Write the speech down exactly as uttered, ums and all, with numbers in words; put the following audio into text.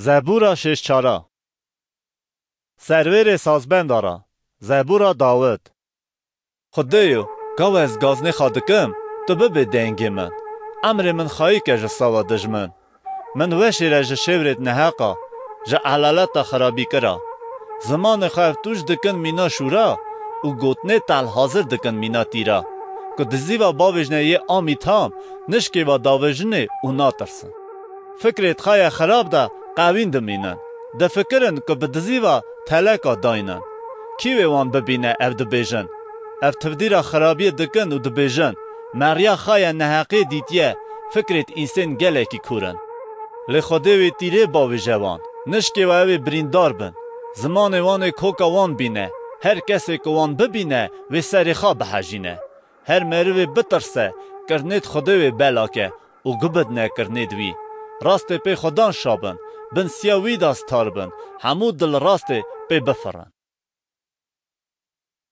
Zebûra şêşçara. Servêrê sazbenda ra. Zebûra Dawid. Xwedêyo, gawa ez gaznê xwe dikim, tu bibê dengê min. Emrê min xayî ke ji sawa dijmin. Min weşî re ji şêwrêt neheqa, ji elaleta xirabîkira. Zimanê xwe ev tûj dikin mîna şûra û gotinê telhazir dikin mîna tîra. Ku dizîva bavêjne yê amî tam, nişkêva davêjinê û natirsin. Fikrêt xwe ye xirab de qewîn dimînin. Difikirin ku bi dizîva teleka daynin. Kî wê wan bibîne ev dibêjin? Ev tivdîra xirabiyê dikin û dibêjin, meriya xwe ye neheqê dîtiye, fikrêt însên gelekî kûr in. Lê Xwedê wê tîrê bavêje wan, nişkêwa ew ê birîndar bin. Zimanê wan ê koka wan bîne, her kesê ku wan bibîne, wê serê xwe bihejîne. Her merivê bitirse, kirinêt Xwedê wê belake û gubidne kirinêt wî. Rastê pê Xwedan şabin, bin siya wî de star bin, hemû dil rastê pê bifirin.